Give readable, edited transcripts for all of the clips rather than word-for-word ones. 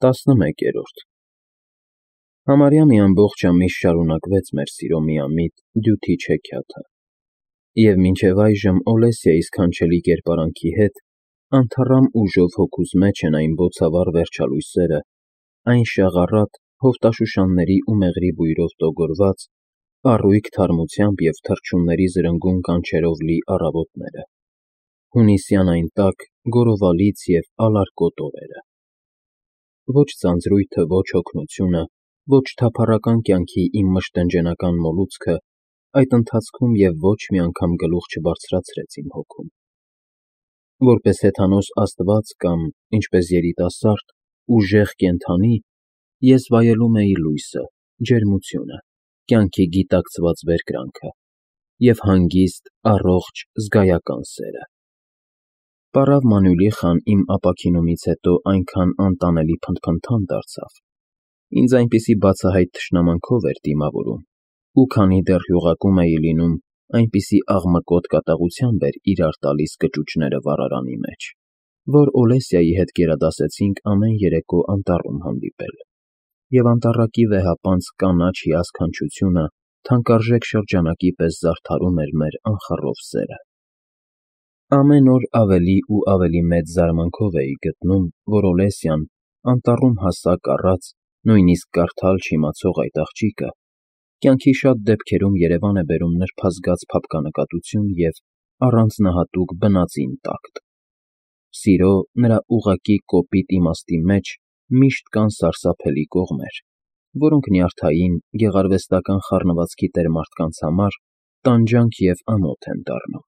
11 Համարյա մի ամբողջ ամիս շարունակվեց մեր սիրո միամիտ, դյութիչ հեքիաթը, և մինչև այժմ Օլեսիայի սքանչելի կերպարանքի հետ անթառամ ուժով հոգուս մեջ են այն բոցավառ վերջալույսերը, այն շաղառատ, հովտաշուշանների ու մեղրի բույրով տոգորված, առույգ թարմությամբ և թռչունների զրնգուն կանչերով լի առավոտները, հունիսյան այն տաք, գորովալից և ալարկոտ օրերը։ Ոչ ձանձրույթը, ոչ հոգնությունը, ոչ թափառական կյանքի իմ մշտնջենական մոլուցքը այդ ընթացքում և ոչ մի անգամ գլուխ չբարձրացրեց իմ հոգում։ Որպես հեթանոս աստված կամ, ինչպես երիտասարդ, ուժեղ կենդանի, ես վայելում էի լույսը, ջերմությունը, կյանքի գիտակցված բերկրանքը և հանգիստ, առողջ, զգայական սերը։ Պառավ Մանուլիխան իմ ապաքինումից հետո այնքան անտանելի փնթփնթան դարձավ, ինձ այնպիսի բացահայտ թշնամանքով էր դիմավորում, ու քանի դեռ հյուղակում էի լինում, այնպիսի աղմկոտ կատաղությամբ էր իրար տալիս կճուճները վառարանի մեջ, որ Օլեսիայի հետ գերադասեցինք ամեն երեկո անտառում հանդիպել, և անտառակի վեհապանծ կանաչ հիասքանչությունը թանկարժեք շրջանակի պես զարդարում էր մեր անխառով սերը։ Ամեն օր ավելի ու ավելի մեծ զարմանքով էի գտնում, որ Օլեսյան, անտառում հասակ առած, նույնիսկ կարդալ չիմացող այդ աղջիկը, կյանքի շատ դեպքերում երևան է բերում նրբազգաց փափկանկատություն և առանձնահատուկ բնածին տակտ։ Սիրո, նրա ուղղակի կոպիտ իմաստի մեջ միշտ կան սարսափելի կողմեր, որոնք նյարդային, գեղարվեստական խառնվածքի տեր մարդկանց համար տանջանք և ամոթ են դառնում։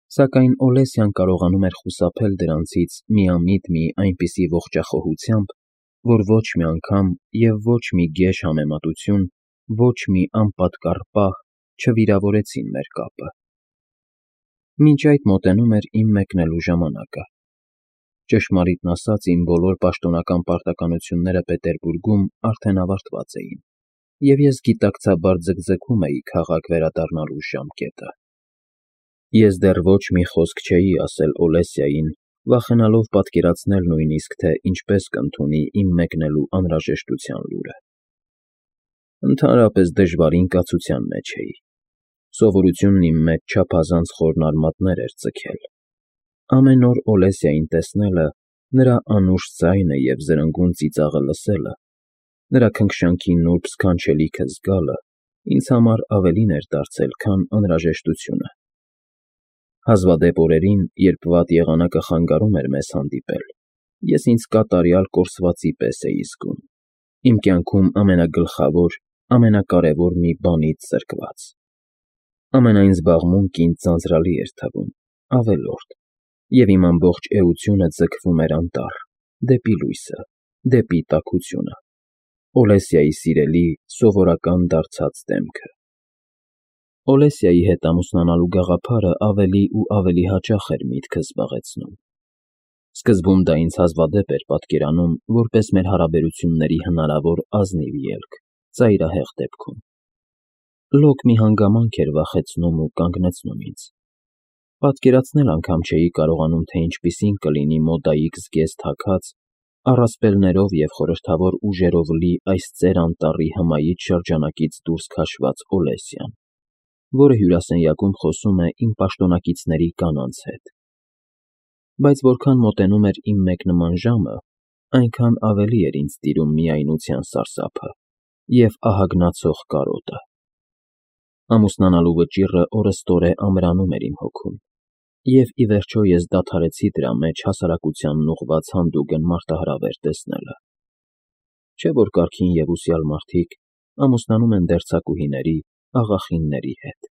Սակայն Օլեսյան կարողանում էր խուսափել դրանցից միամիտ մի այնպիսի ողջախոհությամբ, որ ոչ մի անգամ և ոչ մի գեշ համեմատություն, ոչ մի անպատկառ պահ չվիրավորեցին մեր կապը։ Մինչ այդ մոտենում էր իմ մեկնելու ժամանակը։ Ճշմարիտն ասած, իմ բոլոր պաշտոնական պարտականությունները Պետերբուրգում արդեն ավարտված էին, և ես գիտակցաբար ձգձգում էի քաղաք վերադառնալու ժամկետը։ Ես դեռ ոչ մի խոսք չէի ասել Օլեսիային, վախենալով պատկերացնել նույնիսկ, թե ինչպես կընդունի իմ մեկնելու անհրաժեշտության լուրը։ Ընդհանրապես դժվարին կացության մեջ էի։ Սովորությունն իմ մեջ չափազանց խորն արմատներ էր ձգել։ Ամեն օր Օլեսիային տեսնելը, նրա անուշ ձայնը և զրնգուն ծիծաղը լսելը, նրա քնքշանքի նուրբ սքանչելիքը զգալը ինձ համար ավելին էր դարձել, քան անհրաժեշտությունը։ Հազվադեպ օրերին, երբ վատ եղանակը խանգարում էր մեզ հանդիպել, ես ինձ կատարյալ կորսվածի պես էի զգում, իմ կյանքում ամենագլխավոր, ամենակարևոր մի բանից զրկված։ Ամենայն զբաղմունքը ինձ ձանձրալի էր թվում, ավելորդ, և իմ ամբողջ էությունը ձգվում էր անտառ, դեպի լույսը, դեպի տաքությունը, Օլեսիայի սիրելի, սովորական դարձած դեմքը։ Օլեսիայի հետ ամուսնանալու գաղափարը ավելի ու ավելի հաճախ էր միտքս զբաղեցնում։ Սկզբում դա ինձ հազվադեպ էր պատկերանում որպես մեր հարաբերությունների հնարավոր ազնիվ ելք, ծայրահեղ դեպքում։ Լոկ մի հանգամանք էր վախեցնում ու կանգնեցնում ինձ։ Պատկերացնել անգամ չէի կարողանում, թե ինչպիսին կլինի մոդայիկ զգեստ հագած, առասպելներով և խորհրդավոր ուժերով լի այս ծեր անտառի հմայիչ շրջանակից դուրս քաշված Օլեսյան, որը հյուրասենյակում խոսում է իմ պաշտոնակիցների կանանց հետ։ Բայց որքան մոտենում էր իմ մեկնման ժամը, այնքան ավելի էր ինձ տիրում միայնության սարսափը և ահագնացող կարոտը։ Ամուսնանալու վճիռը օրըստօրե ամրանում էր իմ հոգում, և ի վերջո ես դադարեցի դրա մեջ հասարակությանն ուղղված հանդուգն մարտահրավեր տեսնելը։ Չէ՞ որ կարգին և ուսյալ մարդիկ ամուսնանում են դերձակուհիների, աղախինների հետ,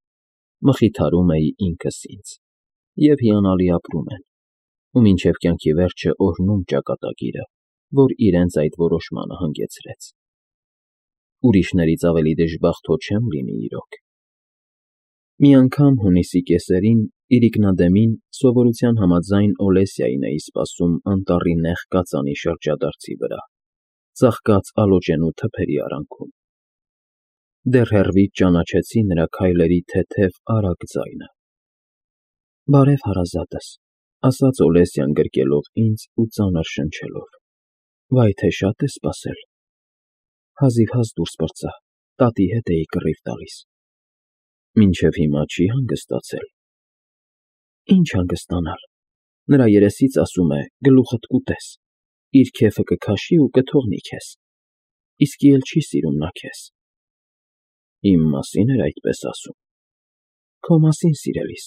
մխիթարում էի ինքս ինձ, և հիանալի ապրում են, ու մինչև կյանքի վերջը օրհնում ճակատագիրը, որ իրենց այդ որոշմանը հանգեցրեց։ Ուրիշներից ավելի դժբախտ հո չեմ լինի իրոք։ Մի անգամ հունիսի կեսերին, իրիկնադեմին, սովորության համաձայն Օլեսիային էի սպասում անտառի նեղ կածանի շրջադարձի վրա, ծաղկած ալոճենու թփերի արանքում։ Դեռ հեռվից ճանաչեցի նրա քայլերի թեթև, արագ ձայնը։ «Բարև, հարազատս», ֊ ասաց Օլեսյան գրկելով ինձ ու ծանր շնչելով։ Վայ թե շատ է սպասել։ Հազիվ դուրս պրծա, տատի հետ էի կռիվ տալիս։ Մինչև հիմա չի հանգստացել։ Ինչ հանգստանալ։ Նրա երեսից ասում է գլուխդ կուտես, իր քեֆը կքաշի ու կթողնի քեզ, իսկի էլ չի սիրում նա քեզ։ Իմ մասին էր այդպես ասում։ Քո մասին, սիրելիս։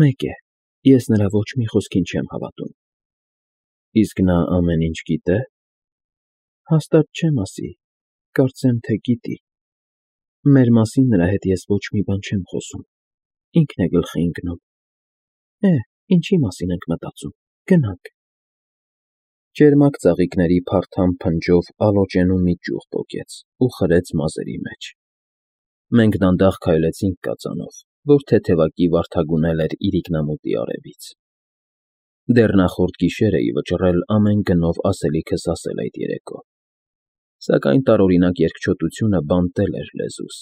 Մեկ է, ես նրա ոչ մի խոսքին չեմ հավատում։ Իսկ նա ամեն ինչ գիտե։ Հաստատ չեմ ասի, կարծեմ թե գիտի։ Մեր մասին նրա հետ ես ոչ մի բան չեմ խոսում, ինքն է գլխի ընկնում։ Ինչի մասին ենք մտածում, գնանք։ Ճերմակ ծաղիկների փարթամ փնջով ալոճենում մի ճյուղ պոկեց ու խրեց մազերի մեջ։ Մենք դանդաղ քայլեցինք կածանով, որ թեթևակի վարդագունել էր իրիկնամուտի արևից։ Դեռ նախորդ գիշեր էի վճռել ամեն գնով ասելիքս ասել այդ երեկո, սակայն տարօրինակ երկչոտությունը բանտել էր լեզուս։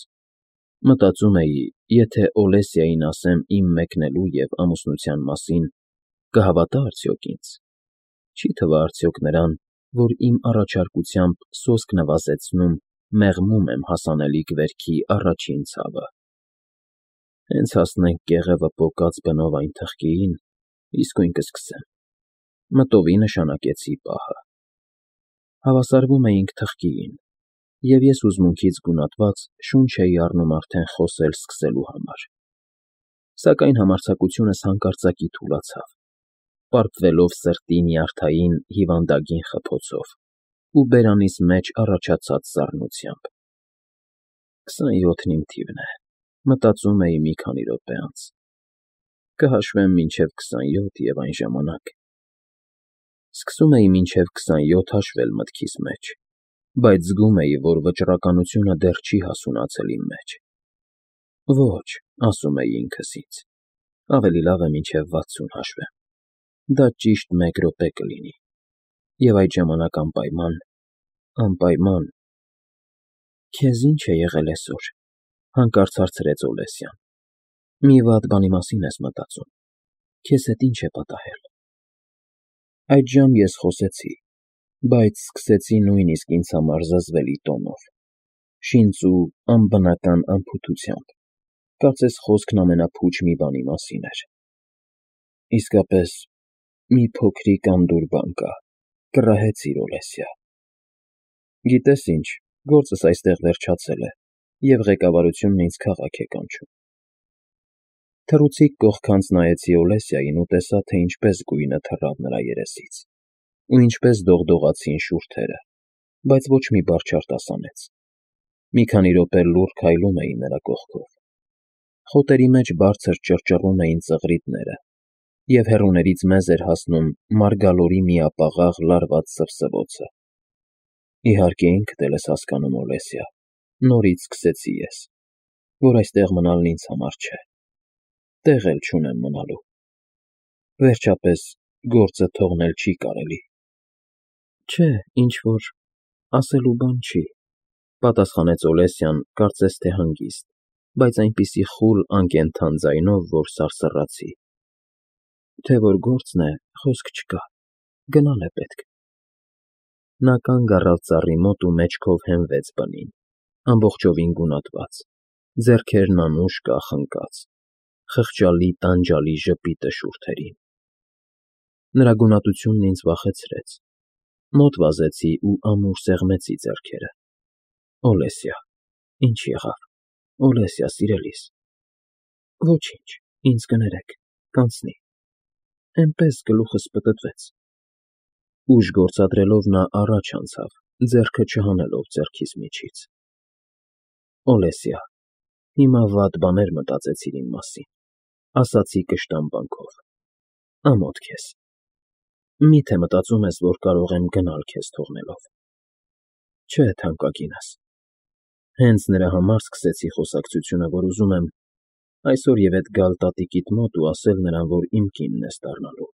Մտածում էի, եթե Օլեսիային ասեմ իմ մեկնելու և ամուսնության մասին, կհավատա՞ արդյոք ինձ։ Չի թվա արդյոք նրան, որ իմ առաջարկությամբ սոսկ նվազեցնում, մեղմում եմ հասանելիք վերքի առաջին ցավը։ Հենց հասնենք կեղևը պոկած բնով այն թխկիին, իսկույն կսկսեմ։ Մտովի նշանակեցի պահը։ Հավասարվում էինք թխկիին, և ես հուզմունքից գունատված շունչ էի առնում արդեն խոսել սկսելու համար։ Սակայն համարձակությունս հանկարծակի թուլացավ, պարպվելով սրտի նյարդային հիվանդագին խփոցով ու բերանիս մեջ առաջացած սառնությամբ։ 27-ն իմ թիվն է, մտածում էի մի քանի րոպե անց։ Կհաշվեմ մինչև 27 և այն ժամանակ։ Սկսում էի մինչև 27 հաշվել մտքիս մեջ, բայց զգում էի, որ վճռականությունը դեռ չի հասունացել իմ մեջ։ Ոչ, ասում էի ինքս ինձ, ավելի լավ է մինչև 60 հաշվեմ։ Դա ճիշտ 1 րոպե կլինի։ Եվ այդ ժամանակ անպայման… Քեզ ի՞նչ է եղել այսօր, հանկարծ հարցրեց Օլեսյան։ Մի վատ բանի մասին ես մտածում, քեզ հետ ի՞նչ է պատահել։ Այդժամ ես խոսեցի, բայց սկսեցի նույնիսկ ինձ համար զզվելի տոնով, շինծ ու անբնական անփութությամբ, կարծես խոսքն ամենափուչ մի բանի մասին էր։ Իսկապես, մի փոքրիկ անդուր բան կա, կռահեցիր, Օլեսյա։ Գիտես ինչ, գործս այստեղ վերջացել է, և ղեկավարությունն ինձ քաղաք է կանչում։ Թռուցիկ կողքանց նայեցի Օլեսիային ու տեսա, թե ինչպես գույնը թռավ նրա երեսից, ու ինչպես դողդողացին շուրթերը, բայց ոչ մի բառ չարտասանեց։ Մի քանի րոպե լուռ քայլում էի նրա կողքով։ Խոտերի մեջ բարձր ճռճռում էին ծղրիդները, և հեռուներից մեզ էր հասնում մարգալորի միապաղաղ լարված սվսվոցը։ Իհարկե, ինքդ էլ ես հասկանում, Օլեսյա, նորից սկսեցի ես, որ այստեղ մնալն ինձ համար չէ, տեղ էլ չունեմ մնալու։ Վերջապես, գործը թողնել չի կարելի։ Չէ, ինչ-որ ասելու բան չի, պատասխանեց Օլեսյան, կարծես թե հանգիստ, բայց այնպիսի խուլ, անկենդան ձայնով, որ սարսռացի։ Թե որ գործն է, խոսք չկա, գնալ է պետք։ Նա կանգ առավ ծառի մոտ ու մեջքով հենվեց բնին, ամբողջովին գունատված, ձեռքերն անուշ կախնկած, խղճալի տանջալի ժպիտը շուրթերին։ Նրա գունատությունն ինձ վախեցրեց։ Մոտ վազեցի ու ամուր սեղմեցի ձեռքերը։ Օլեսյա, ինչ եղավ, Օլեսյա, սիրելիս։ Ոչինչ, ինձ կներեք, կանցնի։ Էնպես գլուխս պտտվեց։ Ուժ գործադրելով նա առաջ անցավ, ձեռքը չհանելով ձեռքիս միջից։ Օլեսյա, հիմա վատ բաներ մտածեցիր իմ մասին, ասացի կշտամբանքով։ Ամոթ քեզ։ Մի՞թե մտածում ես, որ կարող եմ գնալ քեզ թողնելով։ Չէ, թանկագինս։ Հենց նրա համար սկսեցի խոսակցությունը, որ ուզում եմ այսօր և ետ գալ տատիկիդ մոտ ու ասել նրան, որ իմ կինն ես դառնալու։